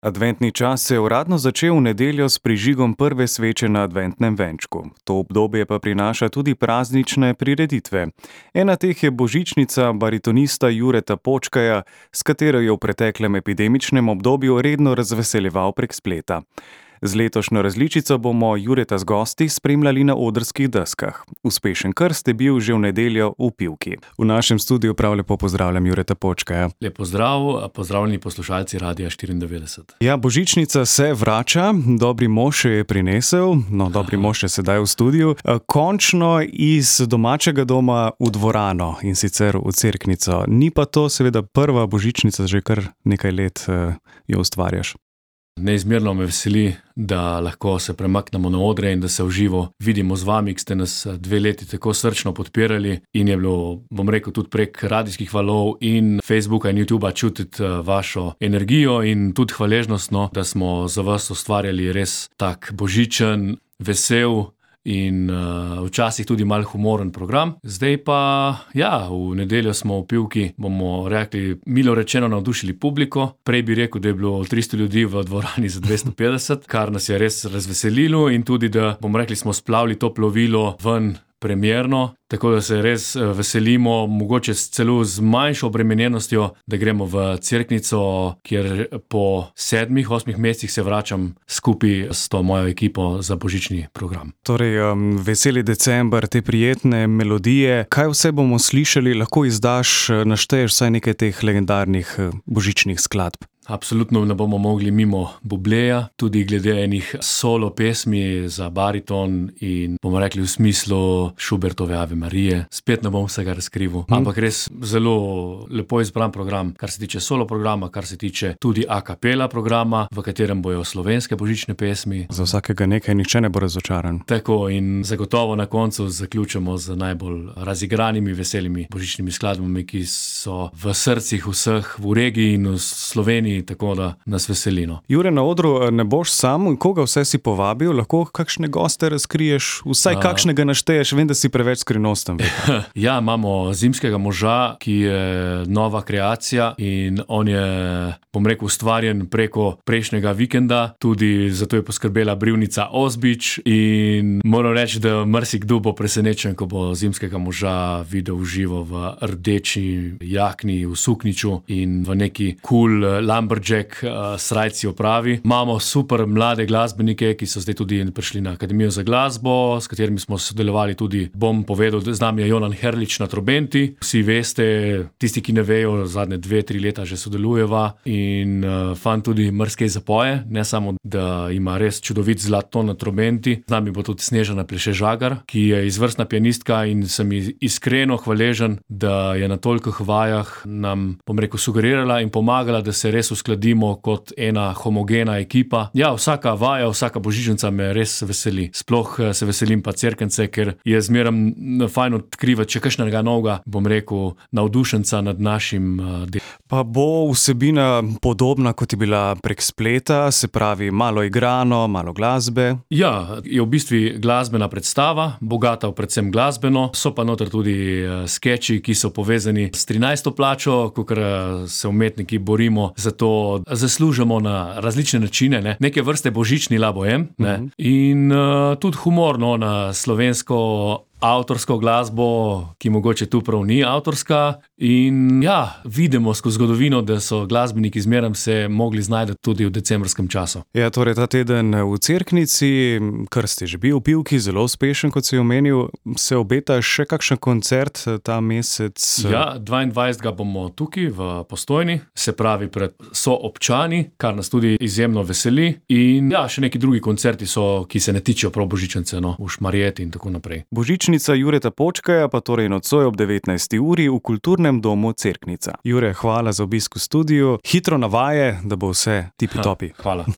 Adventni čas se je uradno začel v nedeljo s prižigom prve sveče na adventnem venčku. To obdobje pa prinaša tudi praznične prireditve. Ena teh je božičnica baritonista Jureta Počkaja, s katero je v preteklem epidemičnem obdobju redno razveseljeval prek spleta. Z letošnjo različico bomo Jureta z gosti spremljali na odrskih deskah. Uspešen krst je bil že v nedeljo v Pivki. V našem studiu prav lepo pozdravljam Jureta Počkaja. Lep pozdrav, pozdravljeni poslušalci Radia 94. Ja, božičnica se vrača, dobri mož je prinesel, dobri mož je sedaj v studiu, končno iz domačega doma v dvorano in sicer v Cerknico. Ni pa to seveda prva božičnica, že kar nekaj let jo ustvarjaš. Neizmerno me veseli, da lahko se premaknemo na odre in da se v živo vidimo z vami, ki ste nas 2 leti tako srčno podpirali in je bilo, bom rekel, tudi prek radijskih valov in Facebooka in YouTubea čutiti vašo energijo in tudi hvaležnost, da smo za vas ustvarjali res tak božičen, vesel in včasih tudi malo humoren program. Zdaj pa, v nedeljo smo v Pivki, bomo rekli, milo rečeno navdušili publiko. Prej bi rekel, da je bilo 300 ljudi v dvorani za 250, kar nas je res razveselilo in tudi, da, bomo rekli, smo splavili to plovilo ven premierno, tako da se res veselimo, mogoče celo z manjšo obremenjenostjo, da gremo v Cerknico, kjer po 7-8 mesecih se vračam skupaj s to mojo ekipo za božični program. Torej, veseli december, te prijetne melodije. Kaj vse bomo slišali, lahko našteješ vsaj nekaj teh legendarnih božičnih skladb? Absolutno ne bomo mogli mimo Bubleja, tudi glede enih solo pesmi za bariton in bomo rekli v smislu Schubertove Ave Marije. Spet ne bom vsega razkrivil, ampak res zelo lepo izbran program, kar se tiče solo programa, kar se tiče tudi a cappella programa, v katerem bojo slovenske božične pesmi. Za vsakega nekaj, nihče ne bo razočaran. Tako, in zagotovo na koncu zaključimo z najbolj razigranimi, veselimi božičnimi skladbami, ki so v srcih vseh v regiji in v Sloveniji, tako da nas veselino. Jure, na odru ne boš sam, koga vse si povabil, lahko kakšne goste razkriješ, vsaj kakšnega našteješ, vem, da si preveč skrivnosten. Ja, imamo zimskega moža, ki je nova kreacija in on je, bom rekel, ustvarjen preko prejšnjega vikenda, tudi zato je poskrbela Brivnica Ozbič in moram reči, da marsikdo bo presenečen, ko bo zimskega moža videl v živo v rdeči jakni, v sukniču in v neki cool lumberjack srajci opravi. Imamo super mlade glasbenike, ki so zdaj tudi prišli na Akademijo za glasbo, s katerimi smo sodelovali tudi, bom povedal, da z nami je Jonan Herlič na trobenti. Vsi veste, tisti, ki ne vejo, zadnje 2-3 leta že sodelujeva in fant tudi marsikaj zapoje, ne samo, da ima res čudovit zlat ton na trobenti. Z nami bo tudi Snežana Pleše-Žagar, ki je izvrstna pianistka in sem iskreno hvaležen, da je na tolikih vajah nam, bom rekel, sugerirala in pomagala, da se res uskladimo kot ena homogena ekipa. Ja, vsaka vaja, vsaka božičnica me res veseli. Sploh se veselim pa Cerknice, ker je zmeraj fajn odkrivati še kakšnega novega, bom rekel, navdušenca nad našim delom. Pa bo vsebina podobna, kot je bila prek spleta, se pravi malo igrano, malo glasbe? Ja, je v bistvu glasbena predstava, bogata predvsem glasbeno, so pa noter tudi skeči, ki so povezani s 13. plačo, kakor se umetniki borimo, zato zaslužimo na različne načine, neke vrste božični la bohem, in tudi humorno na slovensko avtorsko glasbo, ki mogoče tu prav ni avtorska. In vidimo skozi zgodovino, da so glasbeniki zmeraj se mogli znajti tudi v decembrskem času. Ja, torej ta teden v Cerknici, krst je že bil v Pivki, zelo uspešen, kot si omenil, se obeta še kakšen koncert ta mesec? Ja, 22. bomo tukaj v Postojni, se pravi pred soobčani, kar nas tudi izjemno veseli. In še neki drugi koncerti so, ki se ne tičejo prav božičnice, v Šmarjeti in tako naprej. Božičnica Jureta Počkaja pa torej nocoj ob 19. uri v Kulturnem domu Cerknica. Jure, hvala za obisk v studiu. Hitro na vaje, da bo vse tipi-topi. Hvala.